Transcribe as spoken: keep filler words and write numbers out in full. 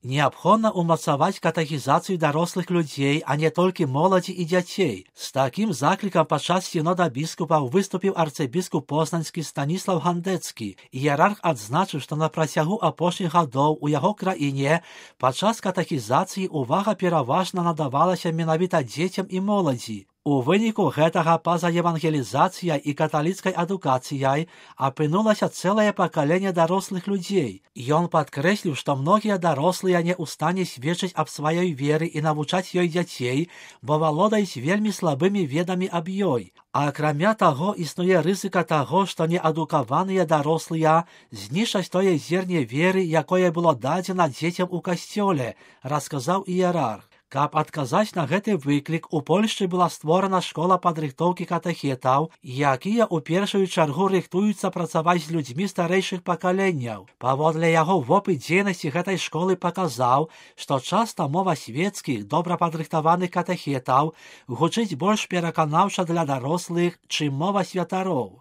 Неабходна ўмацаваць катэхізацыю дарослых людзей, а не толькі моладзі і дзяцей. З такім заклікам падчас сінода біскупаў выступіў арцыбіскуп познанскі Станіслав Гандэцкі. Іерарх адзначыў, што на працягу апошніх гадоў у яго краіне падчас катэхізацыі ўвага пераважна надавалася менавіта дзецям і моладзі. У выніку гэтага па-за евангелізацыяй і каталіцкай адукацыяй апынулася цэлае пакаленне дарослых людзей. Ён падкрэсліў, што многія дарослыя не ў стане сведчыць аб сваёй веры і навучаць ёй дзяцей, бо валодаюць вельмі слабымі ведамі аб ёй. А акрамя таго, існуе рызыка таго, што неадукаваныя дарослыя знішчаць тое зерне веры, якое было дадзена дзецям у касцёле, расказаў іерарх. Каб адказаць на гэты выклік, у Польшчы была створана школа падрыхтоўкі катэхетаў, якія ў першую чаргу рыхтуюцца працаваць з людзьмі старэйшых пакаленняў. Паводле яго вопыт дзейнасці гэтай школы паказаў, што часта мова свецкіх, добра падрыхтаваных катэхетаў гучыць больш пераканаўча для дарослых, чым мова святароў.